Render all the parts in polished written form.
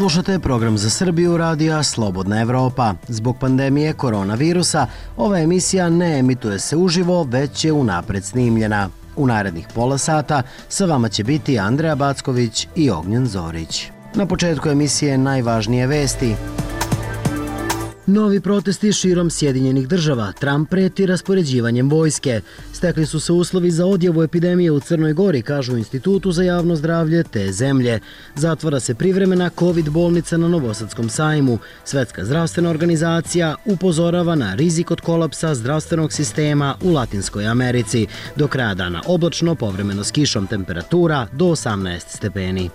Slušate program za Srbiju radija Slobodna Evropa. Zbog pandemije koronavirusa, ova emisija ne emituje se uživo, već je unapred snimljena. U narednih pola sata sa vama će biti Andreja Backović i Ognjen Zorić. Na početku emisije najvažnije vesti. Novi protesti širom Sjedinjenih država. Trump preti raspoređivanjem vojske. Stekli su se uslovi za odjavu epidemije u Crnoj Gori, kažu u Institutu za javno zdravlje te zemlje. Zatvara se privremena COVID bolnica na Novosadskom sajmu. Svetska zdravstvena organizacija upozorava na rizik od kolapsa zdravstvenog sistema u Latinskoj Americi. Do kraja dana oblačno, povremeno s kišom, temperatura do 18 stepeni.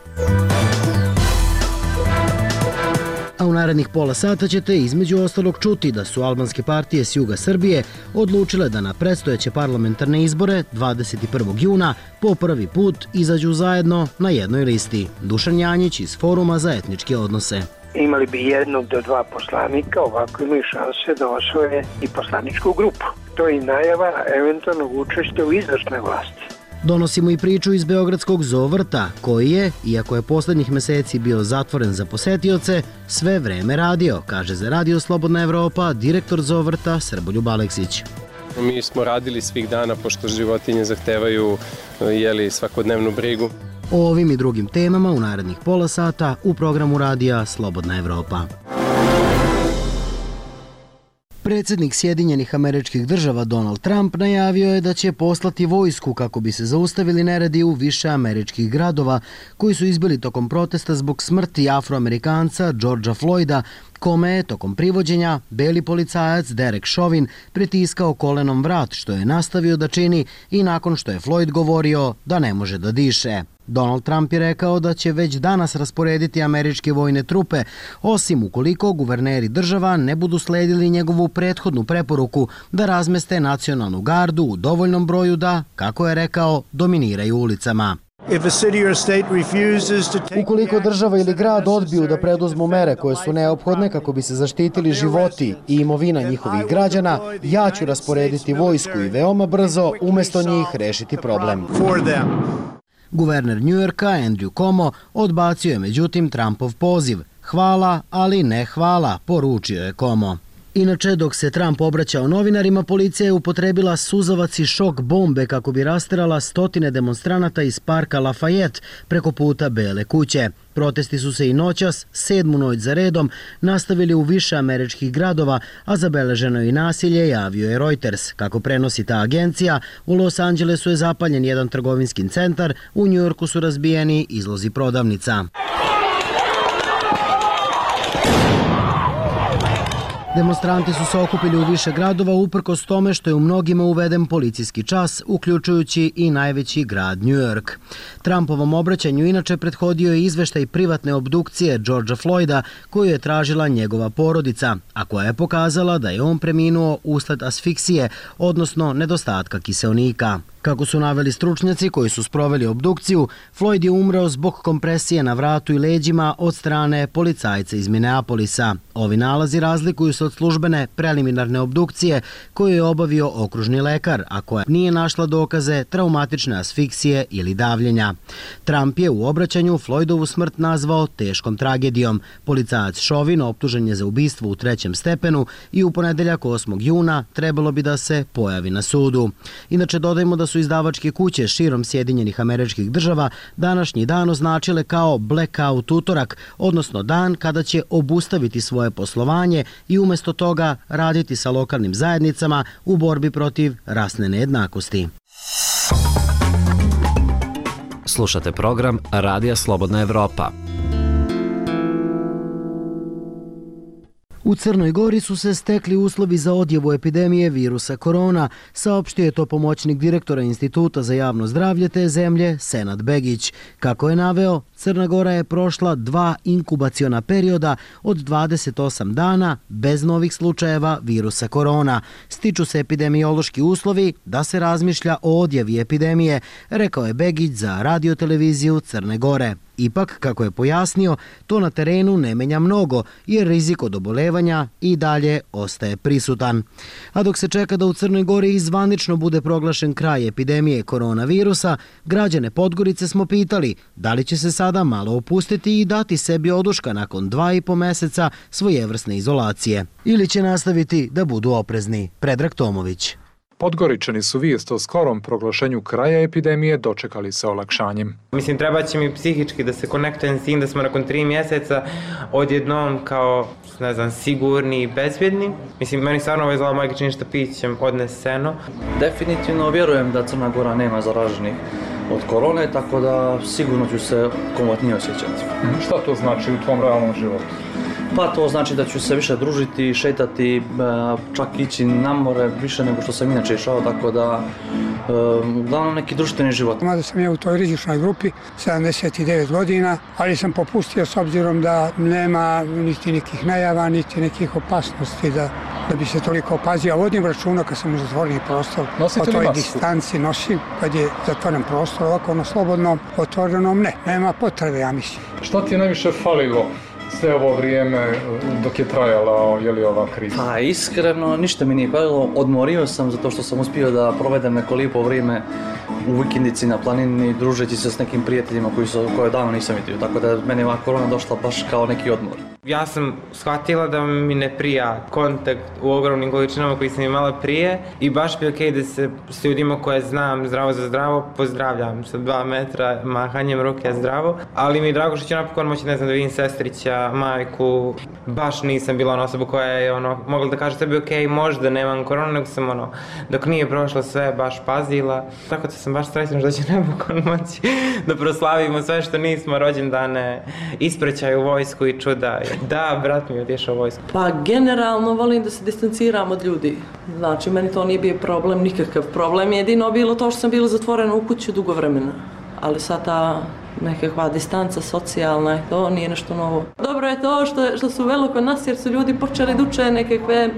A u narednih pola sata ćete između ostalog čuti da su albanske partije s juga Srbije odlučile da na predstojeće parlamentarne izbore 21. juna po prvi put izađu zajedno na jednoj listi. Dušan Janjić iz Foruma za etničke odnose. Imali bi 1 do 2 poslanika, ovako imaju šanse da osvoje i poslaničku grupu. To je i najava eventualnog učešća u izvršnoj vlasti. Donosimo i priču iz Beogradskog zoovrta, koji je, iako je poslednjih meseci bio zatvoren za posetioce, sve vreme radio, kaže za Radio Slobodna Evropa direktor zoovrta Srboljub Aleksić. Mi smo radili svih dana, pošto životinje zahtevaju svakodnevnu brigu. O ovim i drugim temama u narednih pola sata u programu radija Slobodna Evropa. Predsjednik Sjedinjenih Američkih Država Donald Trump najavio je da će poslati vojsku kako bi se zaustavili neredi u više američkih gradova koji su izbili tokom protesta zbog smrti Afroamerikanca Georgea Floyda, kome je tokom privođenja beli policajac Derek Chauvin pritiskao kolenom vrat, što je nastavio da čini i nakon što je Floyd govorio da ne može da diše. Donald Trump je rekao da će već danas rasporediti američke vojne trupe, osim ukoliko guverneri država ne budu sledili njegovu prethodnu preporuku da razmeste nacionalnu gardu u dovoljnom broju da, kako je rekao, dominiraju ulicama. Ukoliko država ili grad odbiju da preduzmu mere koje su neophodne kako bi se zaštitili životi i imovina njihovih građana, ja ću rasporediti vojsku i veoma brzo umjesto njih rešiti problem. Guverner Njujorka Andrew Cuomo odbacio je međutim Trumpov poziv. Hvala, ali ne hvala, poručio je Cuomo. Inače, dok se Trump obraćao novinarima, policija je upotrebila suzavac i šok bombe kako bi rasterala stotine demonstranata iz parka Lafayette preko puta Bele kuće. Protesti su se i noćas, 7. noć za redom, nastavili u više američkih gradova, a zabeleženo je i nasilje, javio je Reuters. Kako prenosi ta agencija, u Los Angelesu je zapaljen jedan trgovinski centar, u Njujorku su razbijeni izlozi prodavnica. Demonstranti su se okupili u više gradova uprkos tome što je u mnogima uveden policijski čas, uključujući i najveći grad New York. Trumpovom obraćanju inače prethodio je izveštaj privatne obdukcije Georgea Floyda koju je tražila njegova porodica, a koja je pokazala da je on preminuo usled asfiksije, odnosno nedostatka kiseonika. Kako su naveli stručnjaci koji su sproveli obdukciju, Floyd je umreo zbog kompresije na vratu i leđima od strane policajca iz Minneapolisa. Ovi nalazi razlikuju se od službene preliminarne obdukcije koju je obavio okružni lekar, a koja nije našla dokaze traumatične asfiksije ili davljenja. Trump je u obraćanju Floydovu smrt nazvao teškom tragedijom. Policajac Chauvin optužen je za ubistvo u 3. stepenu i u ponedeljak 8. juna trebalo bi da se pojavi na sudu. Inače, dodajmo da su izdavačke kuće širom Sjedinjenih Američkih Država današnji dan označile kao blackout utorak, odnosno dan kada će obustaviti svoje poslovanje i umjesto toga raditi sa lokalnim zajednicama u borbi protiv rasne nejednakosti. Slušate program Radija Slobodna Evropa. U Crnoj Gori su se stekli uslovi za odjavu epidemije virusa korona, saopštio je to pomoćnik direktora Instituta za javno zdravlje te zemlje, Senad Begić. Kako je naveo, Crna Gora je prošla 2 inkubaciona perioda od 28 dana bez novih slučajeva virusa korona. Stiču se epidemiološki uslovi da se razmišlja o odjavi epidemije, rekao je Begić za radioteleviziju Crne Gore. Ipak, kako je pojasnio, to na terenu ne menja mnogo, jer rizik od obolevanja i dalje ostaje prisutan. A dok se čeka da u Crnoj Gori izvanično bude proglašen kraj epidemije koronavirusa, građane Podgorice smo pitali da li će se sada malo opustiti i dati sebi oduška nakon 2,5 meseca svojevrsne izolacije. Ili će nastaviti da budu oprezni. Predrag Tomović. Podgoričani su vijest o skorom proglašenju kraja epidemije dočekali sa olakšanjem. Mislim, treba će mi psihički da se konektujem s tim da smo nakon 3 mjeseca odjednom kao, ne znam, sigurni i bezbjedni. Mislim, meni stvarno ovo izgleda magično što pićem odneseno. Definitivno vjerujem da Crna Gora nema zaraženih od korone, tako da sigurno ću se komotnije osjećati. Šta to znači u tvom realnom životu? Pa to znači da ću se više družiti, šetati, čak ići na more više nego što sam inače išao, tako da uglavnom neki društveni život. Mada sam ja u toj rizičnoj grupi, 79 godina, ali sam popustio s obzirom da nema niti nekih najava, niti nekih opasnosti da bi se toliko opazio. Vodim računa kad sam u zatvoreni prostor, o toj distanci nosim, kad je zatvoren prostor, ovako na slobodnom, otvorenom ne, nema potrebe, ja mislim. Šta ti je najviše falilo sve ovo vrijeme dok je trajala ova kriza? Pa iskreno, ništa mi nije falilo. Odmorio sam zato što sam uspio da provedem neko lijepo vrijeme u vikendici na planini, družeći se s nekim prijateljima koje davno nisam vidio. Tako da meni je ova korona došla baš kao neki odmor. Ja sam shvatila da mi ne prija kontakt u ogromnim količinama koji sam imala prije i baš bi okej da se s ljudima koje znam zdravo za zdravo pozdravljam sa 2 metra mahanjem ruke zdravo, ali mi je drago što ću napokon moći, ne znam, da vidim sestrića, majku. Baš nisam bila ona osoba koja je mogla da kaže sebi okej, možda nemam koronu, nego sam dok nije prošlo sve baš pazila. Tako da sam baš srećna što će napokon moći da proslavimo sve što nismo, rođendane, ispraćaj u vojsku i čuda. Da, brat mi je otišao u vojsku. Pa generalno volim da se distanciram od ljudi. Znači, meni to nije bio problem, nikakav problem. Jedino bilo to što sam bila zatvorena u kuću dugo vremena. Ali sad ta nekakva distanca socijalna, to nije nešto novo. Dobro je to što su velo kod nas jer su ljudi počeli da uče nekakve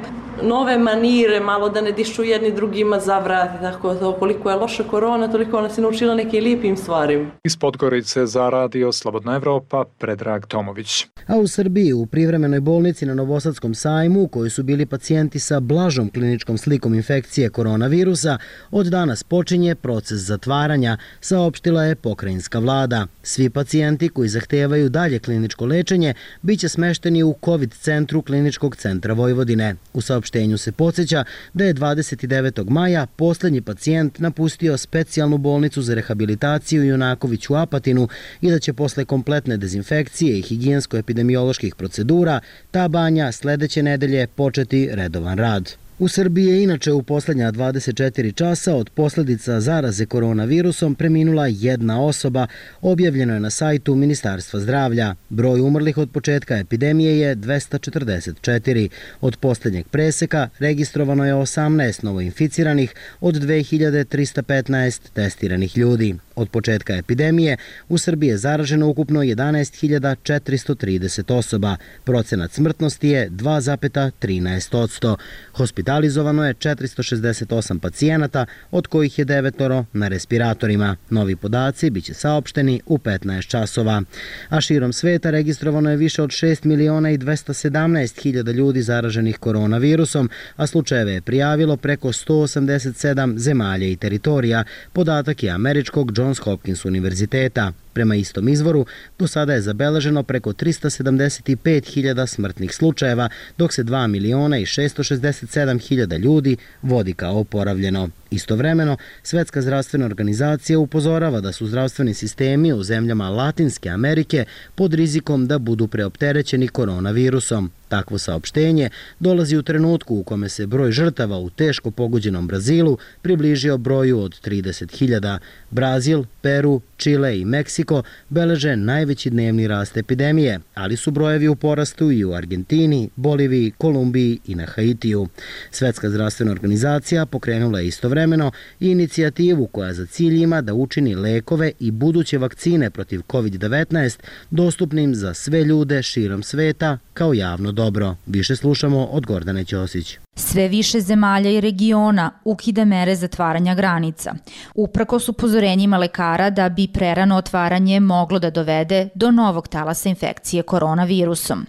nove manire, malo da ne dišu jedni drugima za vrat i tako to. Koliko je loša korona, toliko nas je naučila nekim lijepim stvarima. Iz Podgorice za radio Slobodna Evropa, Predrag Tomović. A u Srbiji u privremenoj bolnici na Novosadskom sajmu, u kojoj su bili pacijenti sa blažom kliničkom slikom infekcije koronavirusa, od danas počinje proces zatvaranja, saopštila je pokrajinska vlada. Svi pacijenti koji zahtevaju dalje kliničko lečenje biće smešteni u COVID centru Kliničkog centra Vojvodine. U saopštenju se podsjeća da je 29. maja poslednji pacijent napustio specijalnu bolnicu za rehabilitaciju Junaković u Apatinu i da će posle kompletne dezinfekcije i higijensko-epidemioloških procedura ta banja sledeće nedelje početi redovan rad. U Srbiji je inače u posljednja 24 časa od posljedica zaraze koronavirusom preminula 1 osoba, objavljeno je na sajtu Ministarstva zdravlja. Broj umrlih od početka epidemije je 244. Od posljednjeg preseka registrovano je 18 novoinficiranih od 2315 testiranih ljudi. Od početka epidemije u Srbiji je zaraženo ukupno 11.430 osoba. Procenat smrtnosti je 2,13%. Hospitalizovano je 468 pacijenata, od kojih je 9 na respiratorima. Novi podaci biće saopšteni u 15 časova. A širom sveta registrovano je više od 6.217.000 ljudi zaraženih koronavirusom, a slučajeve je prijavilo preko 187 zemalja i teritorija. Podatak je američkog Johns Hopkins univerziteta. Prema istom izvoru, do sada je zabeleženo preko 375.000 smrtnih slučajeva, dok se 2.667.000 ljudi vodi kao oporavljeno. Istovremeno, Svetska zdravstvena organizacija upozorava da su zdravstveni sistemi u zemljama Latinske Amerike pod rizikom da budu preopterećeni koronavirusom. Takvo saopštenje dolazi u trenutku u kome se broj žrtava u teško pogođenom Brazilu približio broju od 30.000. Brazil, Peru, Čile i Meksiko beleže najveći dnevni rast epidemije, ali su brojevi u porastu i u Argentini, Boliviji, Kolumbiji i na Haitiju. Svetska zdravstvena organizacija pokrenula je istovremeno i inicijativu koja za cilj ima da učini lekove i buduće vakcine protiv COVID-19 dostupnim za sve ljude širom sveta kao javno dobro. Više slušamo od Gordane Ćosić. Sve više zemalja i regiona ukida mere zatvaranja granica, uprkos upozorenjima lekara da bi prerano otvaranje moglo da dovede do novog talasa infekcije koronavirusom.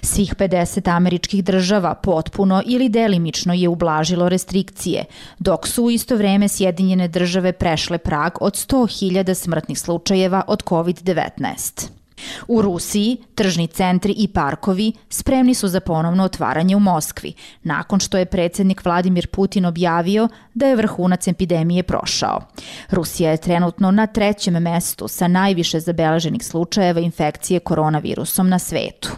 Svih 50 američkih država potpuno ili delimično je ublažilo restrikcije, dok su u isto vreme Sjedinjene države prešle prag od 100.000 smrtnih slučajeva od COVID-19. U Rusiji tržni centri i parkovi spremni su za ponovno otvaranje u Moskvi, nakon što je predsjednik Vladimir Putin objavio da je vrhunac epidemije prošao. Rusija je trenutno na 3. mestu sa najviše zabeleženih slučajeva infekcije koronavirusom na svetu.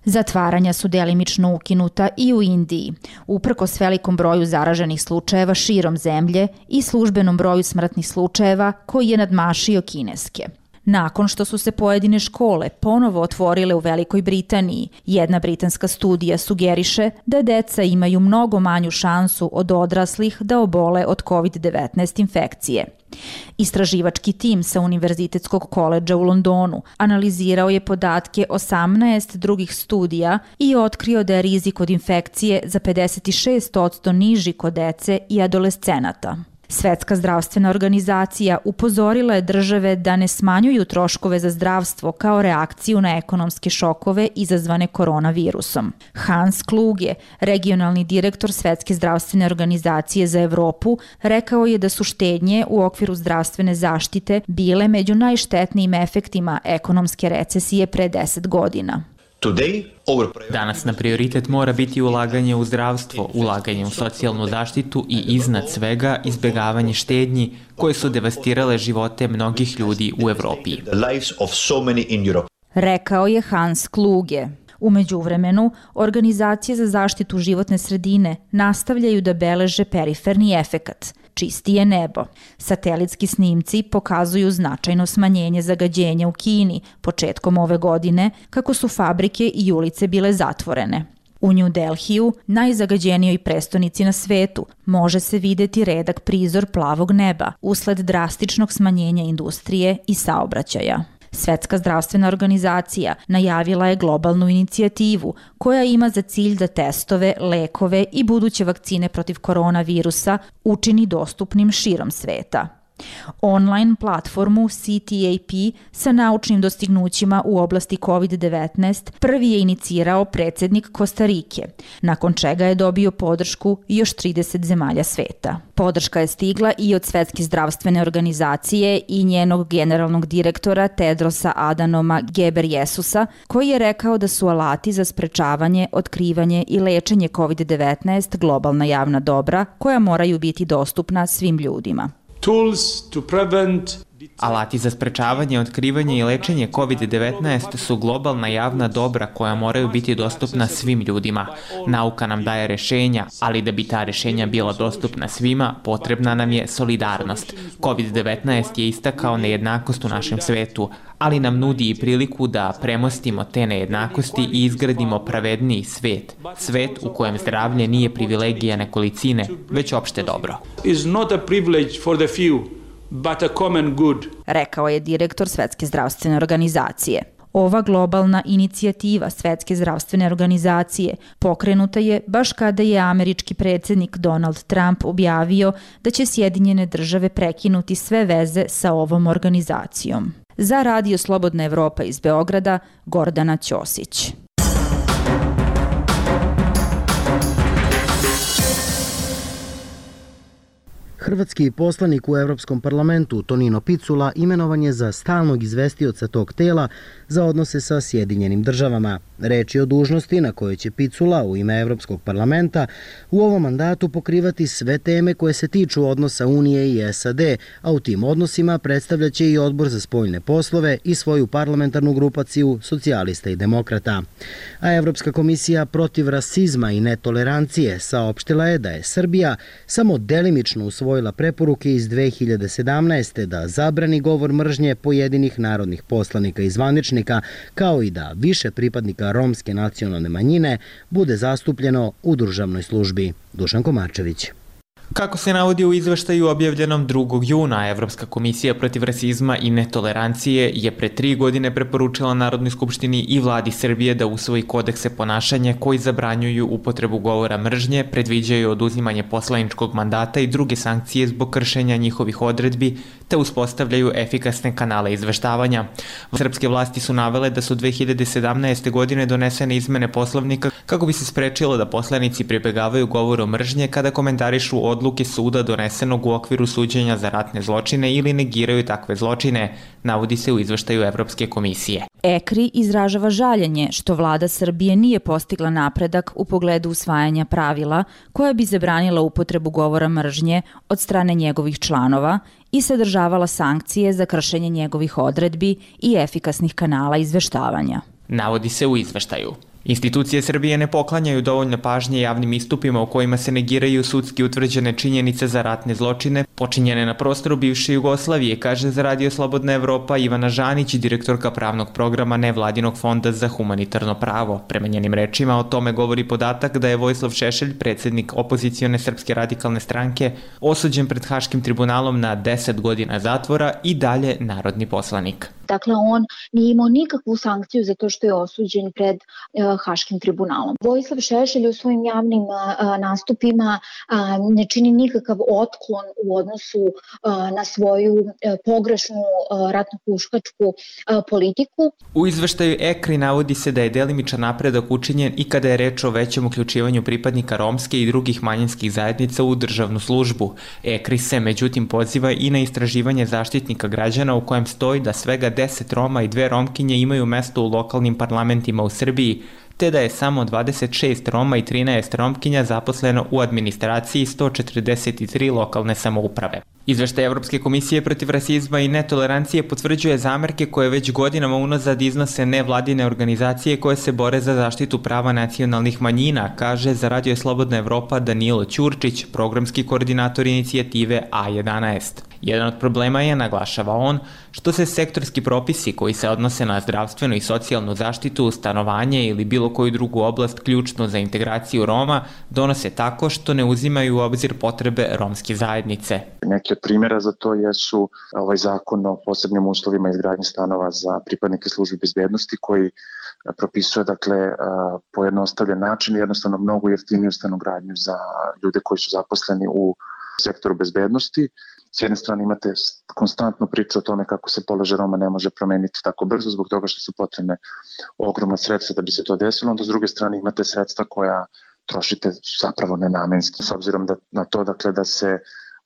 Zatvaranja su delimično ukinuta i u Indiji, uprkos velikom broju zaraženih slučajeva širom zemlje i službenom broju smrtnih slučajeva koji je nadmašio kineske. Nakon što su se pojedine škole ponovo otvorile u Velikoj Britaniji, jedna britanska studija sugeriše da deca imaju mnogo manju šansu od odraslih da obole od COVID-19 infekcije. Istraživački tim sa Univerzitetskog koledža u Londonu analizirao je podatke 18 drugih studija i otkrio da je rizik od infekcije za 56% niži kod dece i adolescenata. Svetska zdravstvena organizacija upozorila je države da ne smanjuju troškove za zdravstvo kao reakciju na ekonomske šokove izazvane koronavirusom. Hans Kluge, regionalni direktor Svetske zdravstvene organizacije za Evropu, rekao je da su štednje u okviru zdravstvene zaštite bile među najštetnijim efektima ekonomske recesije pre 10 godina. Danas na prioritet mora biti ulaganje u zdravstvo, ulaganje u socijalnu zaštitu i iznad svega izbjegavanje štednji koje su devastirale živote mnogih ljudi u Evropi. Rekao je Hans Kluge. U međuvremenu, organizacije za zaštitu životne sredine nastavljaju da beleže periferni efekat. Čistije nebo. Satelitski snimci pokazuju značajno smanjenje zagađenja u Kini početkom ove godine, kako su fabrike i ulice bile zatvorene. U New Delhiju, najzagađenijoj prestonici na svetu, može se videti redak prizor plavog neba usled drastičnog smanjenja industrije i saobraćaja. Svetska zdravstvena organizacija najavila je globalnu inicijativu koja ima za cilj da testove, lekove i buduće vakcine protiv koronavirusa učini dostupnim širom sveta. Online platformu CTAP sa naučnim dostignućima u oblasti COVID-19 prvi je inicirao predsjednik Kostarike, nakon čega je dobio podršku još 30 zemalja sveta. Podrška je stigla i od Svetske zdravstvene organizacije i njenog generalnog direktora Tedrosa Adhanoma Ghebreyesusa, koji je rekao da su alati za sprečavanje, otkrivanje i lečenje COVID-19 globalna javna dobra koja moraju biti dostupna svim ljudima. Alati za sprečavanje, otkrivanje i lečenje COVID-19 su globalna javna dobra koja moraju biti dostupna svim ljudima. Nauka nam daje rešenja, ali da bi ta rešenja bila dostupna svima, potrebna nam je solidarnost. COVID-19 je istakao nejednakost u našem svetu, ali nam nudi i priliku da premostimo te nejednakosti i izgradimo pravedniji svet. Svet u kojem zdravlje nije privilegija nekolicine, već opšte dobro. But a common good. Rekao je direktor Svetske zdravstvene organizacije. Ova globalna inicijativa Svetske zdravstvene organizacije pokrenuta je baš kada je američki predsjednik Donald Trump objavio da će Sjedinjene države prekinuti sve veze sa ovom organizacijom. Za Radio Slobodna Evropa iz Beograda, Gordana Ćosić. Hrvatski poslanik u Evropskom parlamentu Tonino Picula imenovan je za stalnog izvestioca tog tela za odnose sa Sjedinjenim državama. Reč je o dužnosti na kojoj će Picula u ime Evropskog parlamenta u ovom mandatu pokrivati sve teme koje se tiču odnosa Unije i SAD, a u tim odnosima predstavljaće i Odbor za spoljne poslove i svoju parlamentarnu grupaciju socijalista i demokrata. A Evropska komisija protiv rasizma i netolerancije saopštila je da je Srbija samo delimično usvojila preporuke iz 2017. da zabrani govor mržnje pojedinih narodnih poslanika i zvaničnika, kao i da više pripadnika romske nacionalne manjine bude zastupljeno u državnoj službi. Dušan Komarčević. Kako se navodi u izveštaju objavljenom 2. juna, Evropska komisija protiv rasizma i netolerancije je pre 3 godine preporučila Narodnoj skupštini i vladi Srbije da usvoji kodekse ponašanja koji zabranjuju upotrebu govora mržnje, predviđaju oduzimanje poslaničkog mandata i druge sankcije zbog kršenja njihovih odredbi, te uspostavljaju efikasne kanale izveštavanja. Srpske vlasti su navele da su 2017. godine donesene izmene Poslovnika kako bi se sprečilo da poslanici pribegavaju govoru mržnje kada komentarišu odluke suda donesenog u okviru suđenja za ratne zločine ili negiraju takve zločine, navodi se u izveštaju Evropske komisije. EKRI izražava žaljenje što vlada Srbije nije postigla napredak u pogledu usvajanja pravila koja bi zabranila upotrebu govora mržnje od strane njegovih članova i sadržavala sankcije za kršenje njegovih odredbi i efikasnih kanala izveštavanja. Navodi se u izveštaju. Institucije Srbije ne poklanjaju dovoljno pažnje javnim istupima u kojima se negiraju sudski utvrđene činjenice za ratne zločine počinjene na prostoru bivše Jugoslavije, kaže za Radio Slobodna Evropa Ivana Žanić, direktorka pravnog programa Nevladinog fonda za humanitarno pravo. Prema njenim rečima o tome govori podatak da je Vojislav Šešelj, predsjednik opozicione Srpske radikalne stranke, osuđen pred Haškim tribunalom na 10 godina zatvora i dalje narodni poslanik. Dakle, on nije imao nikakvu sankciju za to što je osuđen pred Haškim tribunalom. Vojislav Šešelj u svojim javnim nastupima ne čini nikakav otklon u odnosu na svoju pogrešnu ratno-huškačku politiku. U izveštaju EKRI navodi se da je delimičan napredak učinjen i kada je reč o većem uključivanju pripadnika romske i drugih manjinskih zajednica u državnu službu. EKRI se međutim poziva i na istraživanje Zaštitnika građana u kojem stoji da svega 10 Roma i 2 Romkinje imaju mesto u lokalnim parlamentima u Srbiji, te da je samo 26 Roma i 13 Romkinja zaposleno u administraciji 143 lokalne samouprave. Izveštaj Evropske komisije protiv rasizma i netolerancije potvrđuje zamerke koje već godinama unazad iznose nevladine organizacije koje se bore za zaštitu prava nacionalnih manjina, kaže za Radio Slobodna Evropa Danilo Ćurčić, programski koordinator inicijative A11. Jedan od problema je, naglašava on, što se sektorski propisi koji se odnose na zdravstvenu i socijalnu zaštitu, stanovanje ili bilo koju drugu oblast ključnu za integraciju Roma donose tako što ne uzimaju u obzir potrebe romske zajednice. Neki od primjera za to jesu ovaj zakon o posebnim uslovima izgradnje stanova za pripadnike službe bezbednosti koji propisuje pojednostavljen način i jednostavno mnogo jeftiniju stanogradnju za ljude koji su zaposleni u sektoru bezbednosti. S jedne strane imate konstantnu priču o tome kako se položaj Roma ne može promeniti tako brzo zbog toga što su potrebne ogromna sredstva da bi se to desilo, onda s druge strane imate sredstva koja trošite zapravo nenamenski, s obzirom na to da se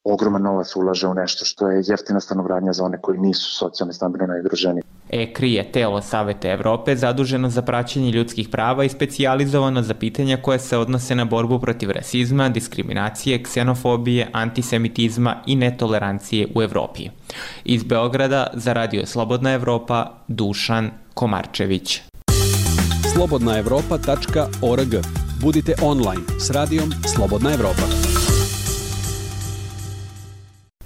ogroman novac ulaže u nešto što je jeftina stanogradnja za one koji nisu socijalno stambeno najugroženiji. EKRI je telo Saveta Evrope zaduženo za praćenje ljudskih prava i specijalizovano za pitanja koje se odnose na borbu protiv rasizma, diskriminacije, ksenofobije, antisemitizma i netolerancije u Evropi. Iz Beograda za Radio Slobodna Evropa, Dušan Komarčević. slobodnaevropa.org. Budite online s radijom Slobodna Evropa.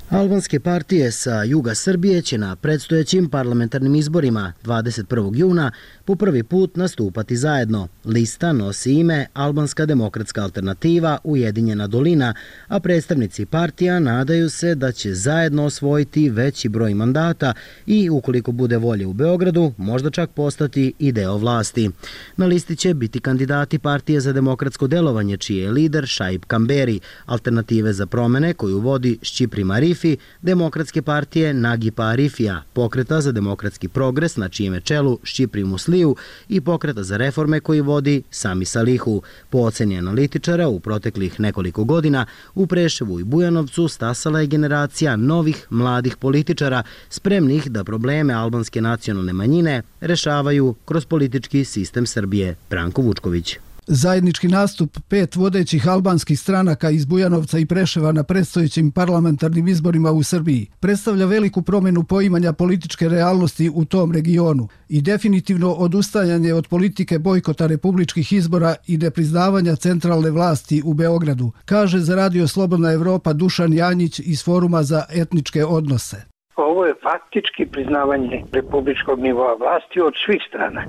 Albanske partije sa juga Srbije će na predstojećim parlamentarnim izborima 21. juna po prvi put nastupati zajedno. Lista nosi ime Albanska demokratska alternativa Ujedinjena dolina, a predstavnici partija nadaju se da će zajedno osvojiti veći broj mandata i, ukoliko bude volje u Beogradu, možda čak postati i deo vlasti. Na listi će biti kandidati Partije za demokratsko delovanje, čiji je lider Šaip Kamberi, Alternative za promene koju vodi Šćiprim Arifi, Demokratske partije Nagipa Arifija, Pokreta za demokratski progres na čijem je čelu Šćiprim Musliju i Pokreta za reforme koji vodi Sami Salihu. Po oceni analitičara, u proteklih nekoliko godina u Preševu i Bujanovcu stasala je generacija novih mladih političara spremnih da probleme albanske nacionalne manjine rešavaju kroz politički sistem Srbije. Branko Vučković. Zajednički nastup 5 vodećih albanskih stranaka iz Bujanovca i Preševa na predstojećim parlamentarnim izborima u Srbiji predstavlja veliku promjenu poimanja političke realnosti u tom regionu i definitivno odustajanje od politike bojkota republičkih izbora i nepriznavanja centralne vlasti u Beogradu, kaže za Radio Slobodna Evropa Dušan Janjić iz Foruma za etničke odnose. Ovo je faktički priznavanje republičkog nivoa vlasti od svih strana.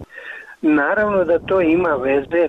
Naravno da to ima veze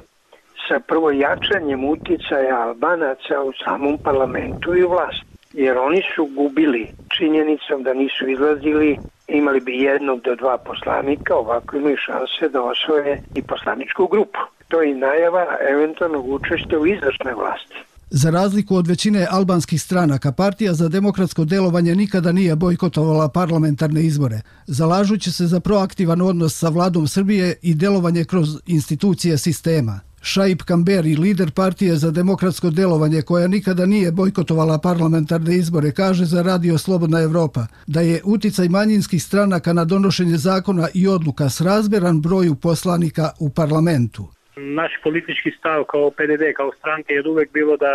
sa prvo jačanjem uticaja Albanaca u samom parlamentu i u vlasti. Jer oni su gubili činjenicom da nisu izlazili, imali bi 1 do 2 poslanika, ovako imaju šanse da osvoje i poslaničku grupu. To je i najava eventualnog učešća u izvršnoj vlasti. Za razliku od većine albanskih stranaka, Partija za demokratsko delovanje nikada nije bojkotovala parlamentarne izbore, zalažući se za proaktivan odnos sa vladom Srbije i delovanje kroz institucije sistema. Šaip Kamberi, lider Partije za demokratsko delovanje koja nikada nije bojkotovala parlamentarne izbore, kaže za Radio Slobodna Evropa da je uticaj manjinskih stranaka na donošenje zakona i odluka srazmjeran broju poslanika u parlamentu. Naš politički stav kao PDD, kao stranke je uvek bilo da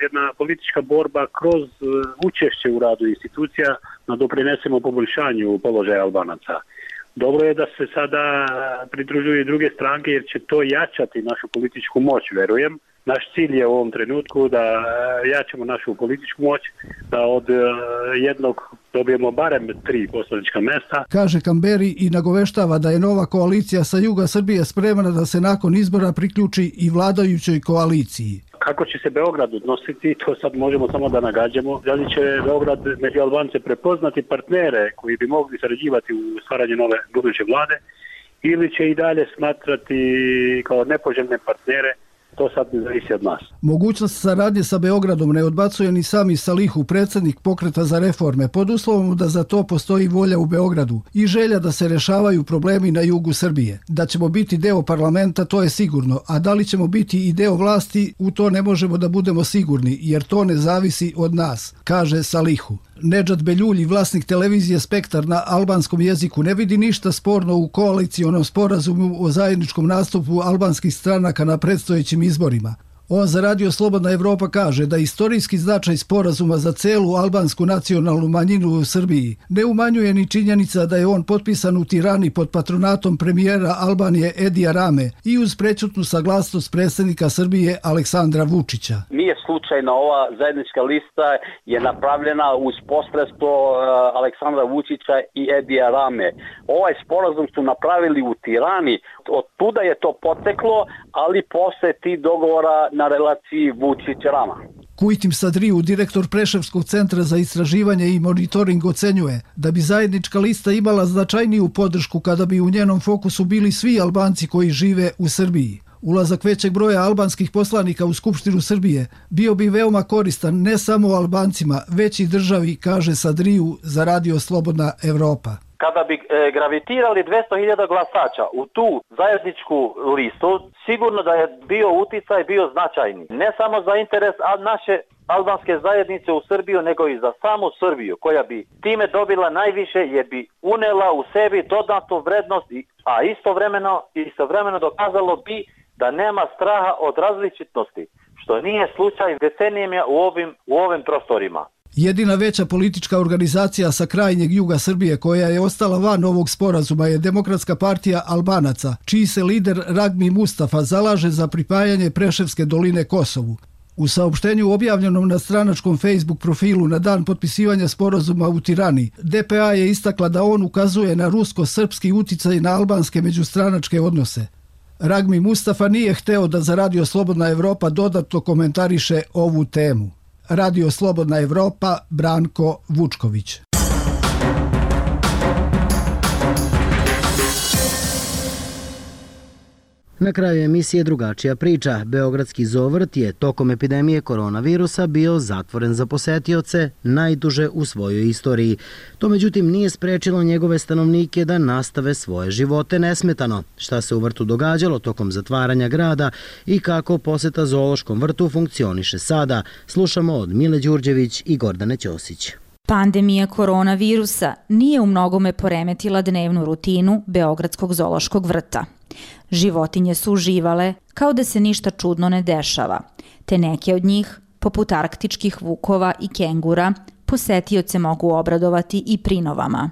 jedna politička borba kroz učešće u radu institucija da doprinesemo poboljšanju položaja Albanaca. Dobro je da se sada pridružuju i druge stranke jer će to jačati našu političku moć, verujem. Naš cilj je u ovom trenutku da jačamo našu političku moć, da od jednog dobijemo barem 3 poslanička mesta. Kaže Kamberi i nagoveštava da je nova koalicija sa juga Srbije spremna da se nakon izbora priključi i vladajućoj koaliciji. Kako će se Beograd odnositi, to sad možemo samo da nagađamo. Da li će Beograd među Albance prepoznati partnere koji bi mogli sarađivati u stvaranju nove buduće vlade ili će i dalje smatrati kao nepoželjne partnere. To sad ne zavisi od nas. Mogućnost saradnje sa Beogradom ne odbacuje ni sami Salihu, predsjednik Pokreta za reforme, pod uslovom da za to postoji volja u Beogradu i želja da se rešavaju problemi na jugu Srbije. Da ćemo biti deo parlamenta, to je sigurno, a da li ćemo biti i deo vlasti, u to ne možemo da budemo sigurni, jer to ne zavisi od nas, kaže Salihu. Nedžad Beljulji, vlasnik televizije Spektar na albanskom jeziku, ne vidi ništa sporno u koalicionom sporazumu o zajedničkom nastupu albanskih stranaka na predstojećim izborima. On za Radio Slobodna Evropa kaže da istorijski značaj sporazuma za celu albansku nacionalnu manjinu u Srbiji ne umanjuje ni činjenica da je on potpisan u Tirani pod patronatom premijera Albanije Edija Rame i uz prećutnu saglasnost predsjednika Srbije Aleksandra Vučića. Nije slučajno, ova zajednička lista je napravljena uz posredstvo Aleksandra Vučića i Edija Rame. Ovaj sporazum su napravili u Tirani, od tuda je to poteklo, ali posle ti dogovora na relaciji Vučić-Rama. Kujtim Sadriju, direktor Preševskog centra za istraživanje i monitoring, ocenjuje da bi zajednička lista imala značajniju podršku kada bi u njenom fokusu bili svi Albanci koji žive u Srbiji. Ulazak većeg broja albanskih poslanika u Skupštinu Srbije bio bi veoma koristan ne samo Albancima, već i državi, kaže Sadriju za Radio Slobodna Evropa. Kada bi gravitirali 200.000 glasača u tu zajedničku listu, sigurno da je bio uticaj, bio značajni. Ne samo za interes naše albanske zajednice u Srbiju, nego i za samu Srbiju, koja bi time dobila najviše jer bi unela u sebi dodatnu vrednost, a istovremeno dokazalo bi da nema straha od različitosti, što nije slučaj decenijama u ovim prostorima. Jedina veća politička organizacija sa krajnjeg juga Srbije koja je ostala van ovog sporazuma je Demokratska partija Albanaca, čiji se lider Ragmi Mustafa zalaže za pripajanje Preševske doline Kosovu. U saopštenju objavljenom na stranačkom Facebook profilu na dan potpisivanja sporazuma u Tirani, DPA je istakla da on ukazuje na rusko-srpski uticaj na albanske međustranačke odnose. Ragmi Mustafa nije hteo da za Radio Slobodna Evropa dodatno komentariše ovu temu. Radio Slobodna Evropa, Branko Vučković. Na kraju emisije drugačija priča. Beogradski Zovrt je tokom epidemije koronavirusa bio zatvoren za posetioce najduže u svojoj istoriji. To međutim nije sprečilo njegove stanovnike da nastave svoje živote nesmetano. Šta se u vrtu događalo tokom zatvaranja grada i kako poseta zoološkom vrtu funkcioniše sada, slušamo od Mile Đurđević i Gordane Ćosić. Pandemija koronavirusa nije u mnogome poremetila dnevnu rutinu Beogradskog zoološkog vrta. Životinje su uživale kao da se ništa čudno ne dešava, te neke od njih, poput arktičkih vukova i kengura, posetioce mogu obradovati i prinovama.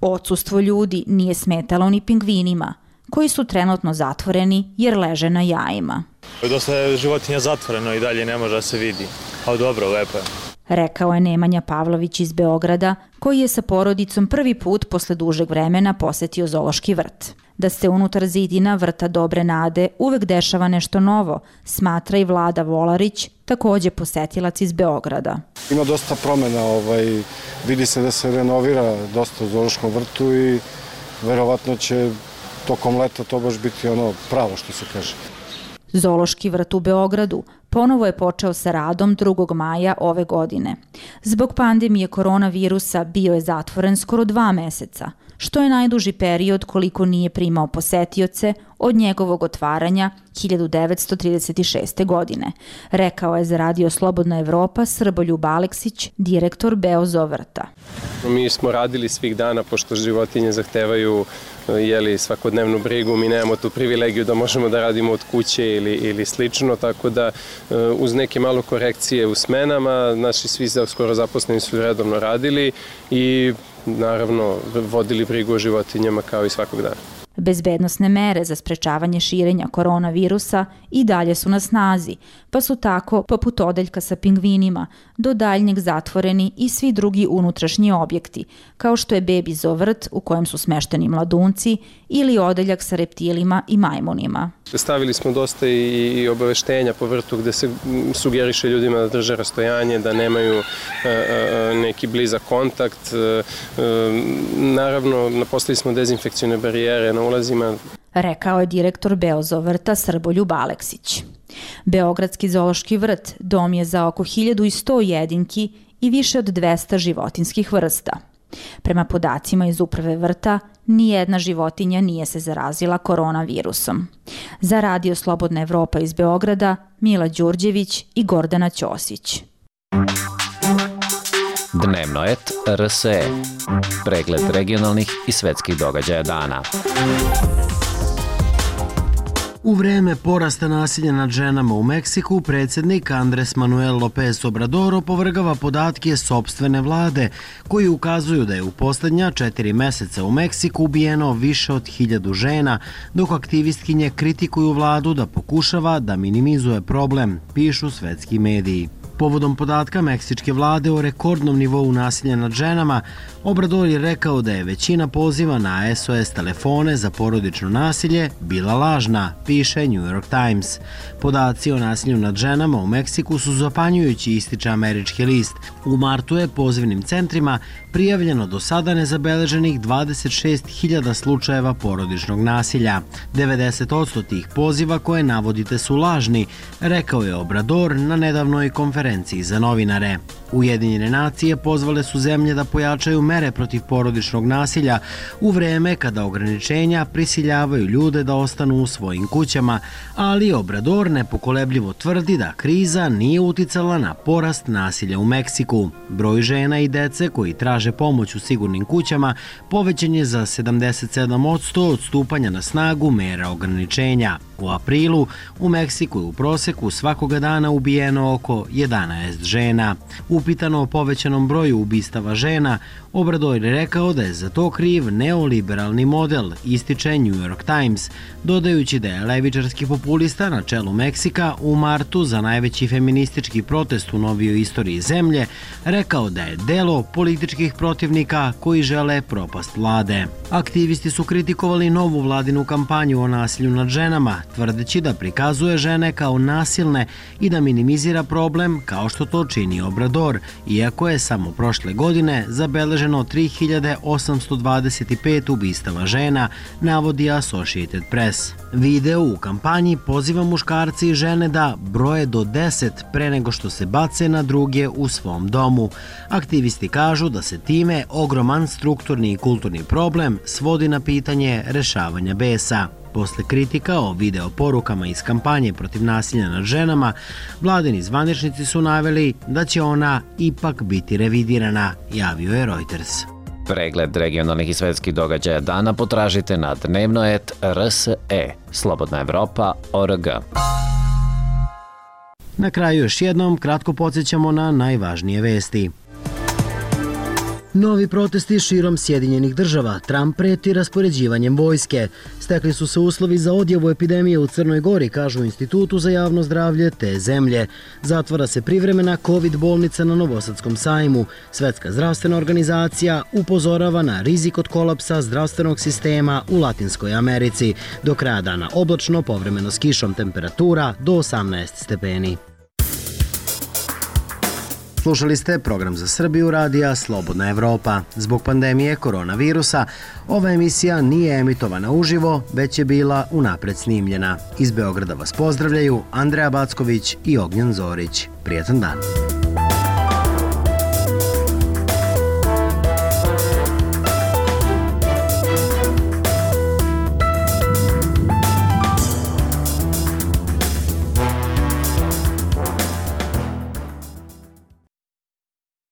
Odsustvo ljudi nije smetalo ni pingvinima, koji su trenutno zatvoreni jer leže na jajima. Dosta je životinja zatvoreno i dalje ne može da se vidi, ali dobro, lepo je. rekao je Nemanja Pavlović iz Beograda, koji je sa porodicom prvi put posle dužeg vremena posetio zoološki vrt. Da se unutar zidina vrta Dobre nade uvek dešava nešto novo, smatra i Vlada Volarić, takođe posetilac iz Beograda. Ima dosta promena, vidi se da se renovira dosta u zoološkom vrtu i verovatno će tokom leta to baš biti ono pravo što se kaže. Zoološki vrt u Beogradu ponovo je počeo sa radom 2. maja ove godine. Zbog pandemije koronavirusa bio je zatvoren skoro 2 meseca, što je najduži period koliko nije primao posetioce od njegovog otvaranja 1936. godine, rekao je za Radio Slobodna Evropa Srboljub Aleksić, direktor Beozoo vrta. Mi smo radili svih dana, pošto životinje zahtevaju svakodnevnu brigu, mi nemamo tu privilegiju da možemo da radimo od kuće ili slično, tako da uz neke malo korekcije u smenama, naši svi skoro zaposleni su redovno radili i naravno vodili brigu o životinjama kao i svakog dana. Bezbednosne mere za sprečavanje širenja koronavirusa i dalje su na snazi, pa su tako, poput odeljka sa pingvinima, do daljnjeg zatvoreni i svi drugi unutrašnji objekti, kao što je Bebi zoo vrt u kojem su smešteni mladunci ili odeljak sa reptilima i majmunima. Stavili smo dosta i obaveštenja po vrtu gde se sugeriše ljudima da drže rastojanje, da nemaju neki blizak kontakt. Naravno, napostavili smo dezinfekcione barijere na ulazima. Rekao je direktor Beozoo vrta Srboljub Aleksić. Beogradski zoološki vrt dom je za oko 1100 jedinki i više od 200 životinskih vrsta. Prema podacima iz uprave vrta, nijedna životinja nije se zarazila koronavirusom. Za Radio Slobodna Evropa iz Beograda, Mila Đurđević i Gordana Ćosić. Dnevno et RSE. Pregled regionalnih i svetskih događaja dana. U vreme porasta nasilja nad ženama u Meksiku, predsjednik Andres Manuel López Obrador opovrgava podatke sopstvene vlade, koji ukazuju da je u poslednja 4 meseca u Meksiku ubijeno više od 1000 žena, dok aktivistkinje kritikuju vladu da pokušava da minimizuje problem, pišu svetski mediji. Povodom podatka meksičke vlade o rekordnom nivou nasilja nad ženama, Obrador je rekao da je većina poziva na SOS telefone za porodično nasilje bila lažna, piše New York Times. Podaci o nasilju nad ženama u Meksiku su zapanjujući, ističe američki list. U martu je pozivnim centrima prijavljeno do sada nezabeleženih 26.000 slučajeva porodičnog nasilja. 90% tih poziva koje navodite su lažni, rekao je Obrador na nedavnoj konferenciji za novinare. Ujedinjene nacije pozvale su zemlje da pojačaju mere protiv porodičnog nasilja u vreme kada ograničenja prisiljavaju ljude da ostanu u svojim kućama, ali Obrador nepokolebljivo tvrdi da kriza nije uticala na porast nasilja u Meksiku. Broj žena i dece koji traže pomoć u sigurnim kućama povećan je za 77% od stupanja na snagu mera ograničenja. U aprilu u Meksiku je u proseku svakoga dana ubijeno oko 11 žena. Upitano o povećanom broju ubistava žena, Obrador je rekao da je za to kriv neoliberalni model, ističe New York Times, dodajući da je levičarski populista na čelu Meksika u martu za najveći feministički protest u novijoj istoriji zemlje rekao da je delo političkih protivnika koji žele propast vlade. Aktivisti su kritikovali novu vladinu kampanju o nasilju nad ženama, tvrdeći da prikazuje žene kao nasilne i da minimizira problem kao što to čini Obrador, iako je samo prošle godine zabeleženo 3825 ubistava žena, navodi Associated Press. Video u kampanji poziva muškarce i žene da broje do 10 pre nego što se bace na druge u svom domu. Aktivisti kažu da se time ogroman strukturni i kulturni problem svodi na pitanje rešavanja besa. Posle kritika o video porukama iz kampanje protiv nasilja nad ženama, vladini zvaničnici su naveli da će ona ipak biti revidirana, javio je Reuters. Pregled regionalnih i svetskih događaja dana potražite na dnevno.rs.e, Slobodna Evropa.org. Na kraju još jednom kratko podsjećamo na najvažnije vesti. Novi protesti širom Sjedinjenih država. Trump preti raspoređivanjem vojske. Stekli su se uslovi za odjavu epidemije u Crnoj Gori, kažu u Institutu za javno zdravlje te zemlje. Zatvara se privremena COVID bolnica na Novosadskom sajmu. Svetska zdravstvena organizacija upozorava na rizik od kolapsa zdravstvenog sistema u Latinskoj Americi. Do kraja dana oblačno, povremeno s kišom, temperatura do 18 stepeni. Slušali ste program za Srbiju radija Slobodna Evropa. Zbog pandemije koronavirusa, ova emisija nije emitovana uživo, već je bila unapred snimljena. Iz Beograda vas pozdravljaju Andreja Backović i Ognjen Zorić. Prijetan dan.